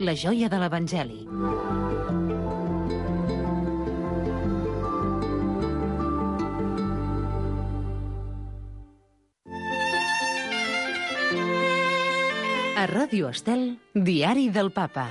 la joia de l'Evangeli. A Ràdio Estel, Diari del Papa.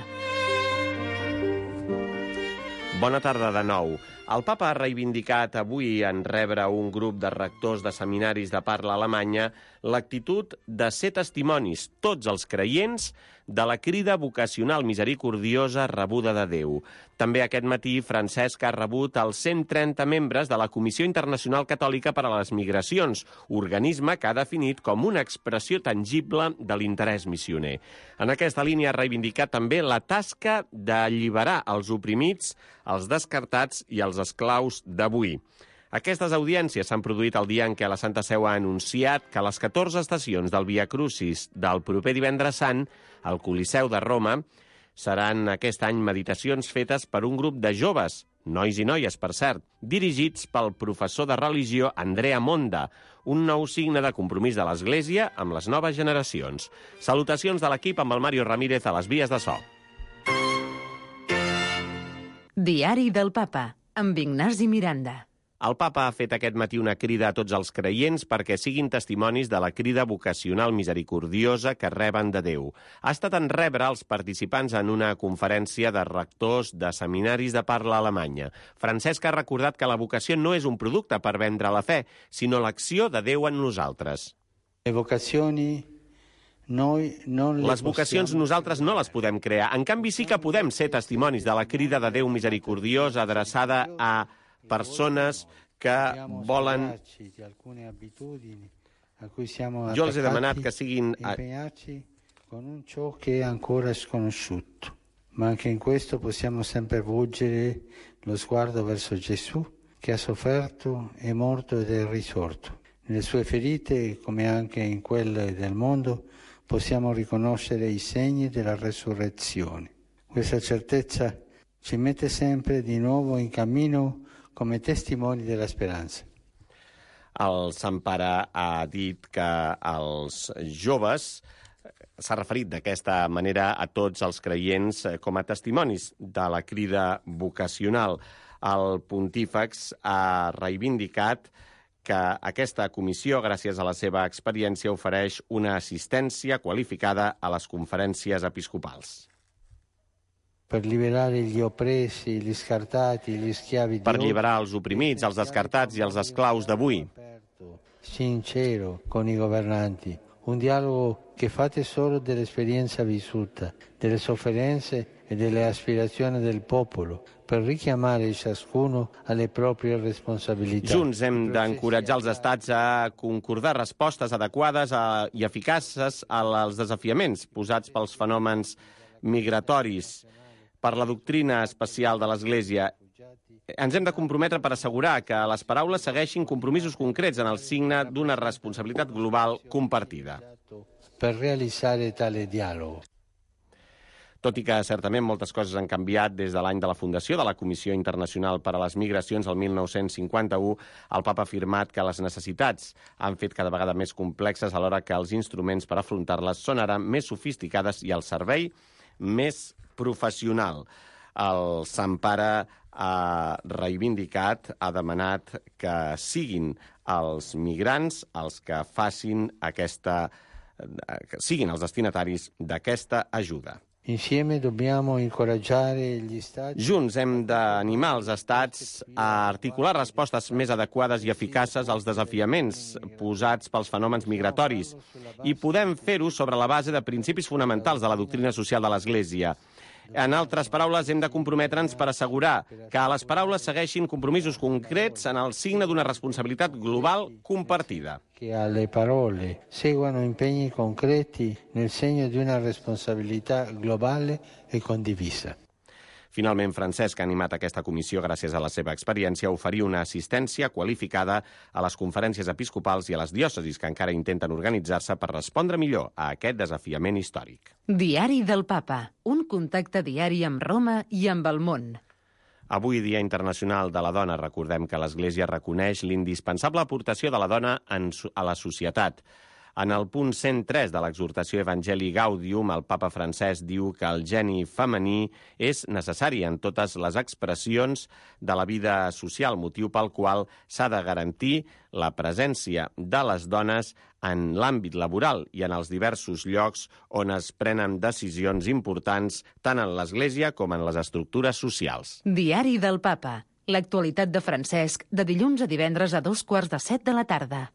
Bona tarda de nou. El Papa ha reivindicat avui en rebre un grup de rectors de seminaris de parla alemanya l'actitud de ser testimonis, tots els creients, de la crida vocacional misericordiosa rebuda de Déu. També aquest matí Francesc ha rebut els 130 membres de la Comissió Internacional Catòlica per a les Migracions, organisme que ha definit com una expressió tangible de l'interès missioner. En aquesta línia ha reivindicat també la tasca d'alliberar els oprimits, els descartats i els esclaus d'avui. Aquestes audiències s'han produït el dia en què la Santa Seu ha anunciat que a les 14 estacions del Via Crucis del proper divendres sant, al Coliseu de Roma, seran aquest any meditacions fetes per un grup de joves, nois i noies, per cert, dirigits pel professor de religió Andrea Monda, un nou signe de compromís de l'Església amb les noves generacions. Salutacions de l'equip amb el Mario Ramírez a les vies de so. Diari del Papa, amb Ignasi Miranda. El Papa ha fet aquest matí una crida a tots els creients perquè siguin testimonis de la crida vocacional misericordiosa que reben de Déu. Ha estat en rebre els participants en una conferència de rectors de seminaris de parla alemanya. Francesc ha recordat que la vocació no és un producte per vendre la fe, sinó l'acció de Déu en nosaltres. Les vocacions nosaltres no les podem crear. En canvi, sí que podem ser testimonis de la crida de Déu misericordiosa adreçada a persones que volen... Jo els he demanat que siguin... con un ciò che è ancora sconosciuto, ma anche in questo possiamo sempre volgere lo sguardo verso Gesù che ha sofferto, è morto ed è risorto. Nelle sue ferite, come anche in quelle del mondo, possiamo riconoscere i segni della resurrezione. Questa certezza ci mette sempre di nuovo in cammino come testimoni della speranza. El Sant Pare ha dit que els joves, s'ha referit d'aquesta manera a tots els creients com a testimonis de la crida vocacional. El pontífex ha reivindicat que aquesta comissió, gràcies a la seva experiència, ofereix una assistència qualificada a les conferències episcopals. Per alliberar els oprimits, els descartats i els esclaus d'avui. Sincero con i governanti, un dialogo che fa tesoro dell'esperienza vissuta, delle sofferenze e delle aspirazioni del popolo, per richiamare ciascuno alle proprie responsabilità. Junts hem d'encoratjar els estats a concordar respostes adequades i eficaces als desafiaments posats pels fenòmens migratoris, per la doctrina especial de l'Església. Ens hem de comprometre per assegurar que les paraules segueixin compromisos concrets en el signe d'una responsabilitat global compartida. Per realitzare tale dialogo. Tot i que certament moltes coses han canviat des de l'any de la fundació de la Comissió Internacional per a les Migracions el 1951, el Papa ha afirmat que les necessitats han fet cada vegada més complexes alhora que els instruments per afrontar-les són ara més sofisticades i el servei més professional. El Sant Pare ha reivindicat, ha demanat que siguin els migrants els que facin que siguin els destinataris d'aquesta ajuda. Junts hem d'animar els estats a articular respostes més adequades i eficaces als desafiaments posats pels fenòmens migratoris i podem fer-ho sobre la base de principis fonamentals de la doctrina social de l'Església. En altres paraules, hem de comprometre'ns per assegurar que les paraules segueixin compromisos concrets en el signe d'una responsabilitat global compartida. Que alle parole seguano impegni concreti nel segno di una responsabilità globale e condivisa. Finalment, Francesc ha animat aquesta comissió, gràcies a la seva experiència, a oferir una assistència qualificada a les conferències episcopals i a les diòcesis que encara intenten organitzar-se per respondre millor a aquest desafiament històric. Diari del Papa, un contacte diari amb Roma i amb el món. Avui, Dia Internacional de la Dona, recordem que l'Església reconeix l'indispensable aportació de la dona a la societat. En el punt 103 de l'exhortació Evangelii Gaudium, el papa Francesc diu que el geni femení és necessari en totes les expressions de la vida social, motiu pel qual s'ha de garantir la presència de les dones en l'àmbit laboral i en els diversos llocs on es prenen decisions importants tant en l'Església com en les estructures socials. Diari del Papa. L'actualitat de Francesc, de dilluns a divendres a 2:15 de la tarda.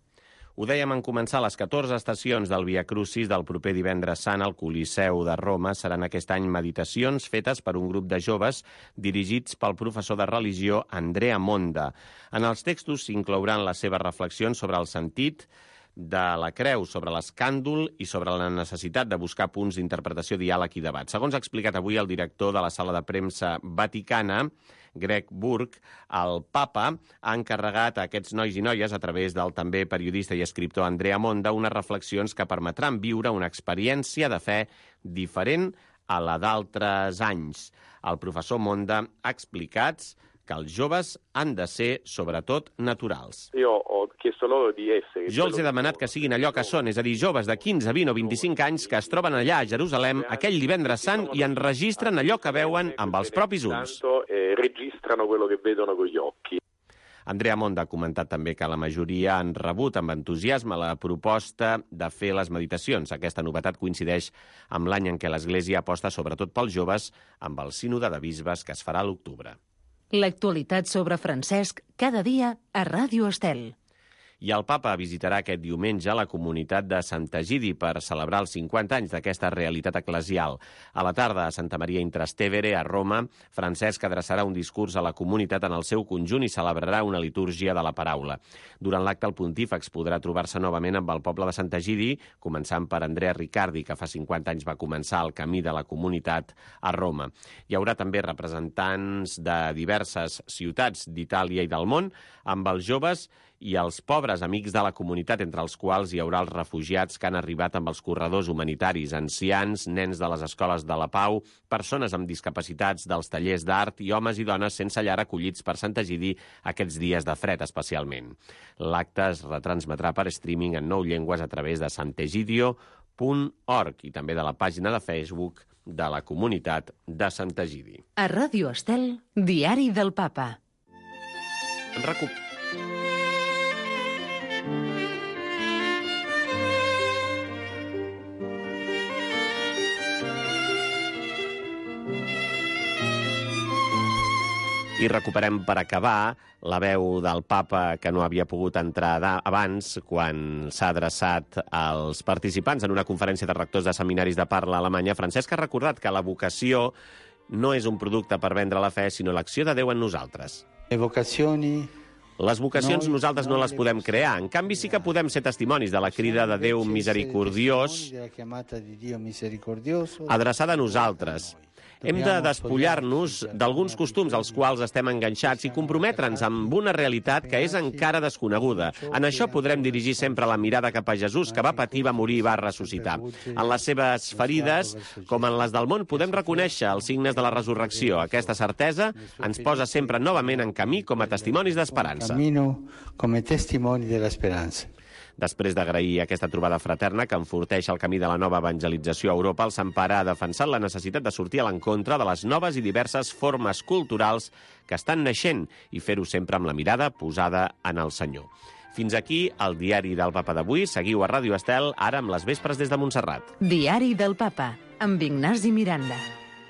Ho dèiem en començar, les 14 estacions del Via Crucis del proper divendres sant al Coliseu de Roma seran aquest any meditacions fetes per un grup de joves dirigits pel professor de religió Andrea Monda. En els textos s'inclouran les seves reflexions sobre el sentit de la creu, sobre l'escàndol i sobre la necessitat de buscar punts d'interpretació, diàleg i debat. Segons ha explicat avui el director de la sala de premsa vaticana, Greg Burke, el papa ha encarregat a aquests nois i noies, a través del també periodista i escriptor Andrea Monda, unes reflexions que permetran viure una experiència de fe diferent a la d'altres anys. El professor Monda ha explicat que els joves han de ser, sobretot, naturals. Jo els he demanat que siguin allò que són, és a dir, joves de 15, 20 o 25 anys que es troben allà a Jerusalem aquell divendres sant i enregistren allò que veuen amb els propis ulls. Andrea Monda ha comentat també que la majoria han rebut amb entusiasme la proposta de fer les meditacions. Aquesta novetat coincideix amb l'any en què l'Església aposta sobretot pels joves amb el sínode de bisbes que es farà a l'octubre. L'actualitat sobre Francesc cada dia a Ràdio Estel. I el papa visitarà aquest diumenge la comunitat de Sant Egidi per celebrar els 50 anys d'aquesta realitat eclesial. A la tarda, a Santa Maria in Trastevere, a Roma, Francesc adreçarà un discurs a la comunitat en el seu conjunt i celebrarà una litúrgia de la paraula. Durant l'acte, el pontífex podrà trobar-se novament amb el poble de Sant Egidi, començant per Andrea Riccardi, que fa 50 anys va començar el camí de la comunitat a Roma. Hi haurà també representants de diverses ciutats d'Itàlia i del món, amb els joves i els pobres amics de la comunitat, entre els quals hi haurà els refugiats que han arribat amb els corredors humanitaris, ancians, nens de les escoles de la Pau, persones amb discapacitats dels tallers d'art i homes i dones sense llar acollits per Sant Egidi aquests dies de fred especialment. L'acte es retransmetrà per streaming en 9 llengües a través de santegidio.org i també de la pàgina de Facebook de la comunitat de Sant Egidi. A Ràdio Estel, Diari del Papa. I recuperem per acabar la veu del papa que no havia pogut entrar abans quan s'ha adreçat als participants en una conferència de rectors de seminaris de parla alemanya. Francesc ha recordat que la vocació no és un producte per vendre la fe, sinó l'acció de Déu en nosaltres. Les vocacions nosaltres no les podem crear. En canvi, sí que podem ser testimonis de la crida de Déu misericordiós adreçada a nosaltres. Hem de despullar-nos d'alguns costums als quals estem enganxats i comprometre'ns amb una realitat que és encara desconeguda. En això podrem dirigir sempre la mirada cap a Jesús, que va patir, va morir i va ressuscitar. En les seves ferides, com en les del món, podem reconèixer els signes de la resurrecció. Aquesta certesa ens posa sempre novament en camí com a testimonis d'esperança. Després d'agrair aquesta trobada fraterna que enforteix el camí de la nova evangelització a Europa, el Sant Pare ha defensat la necessitat de sortir a l'encontre de les noves i diverses formes culturals que estan naixent i fer-ho sempre amb la mirada posada en el Senyor. Fins aquí el Diari del Papa d'avui. Seguiu a Ràdio Estel, ara amb les vespres des de Montserrat. Diari del Papa, amb Ignasi Miranda.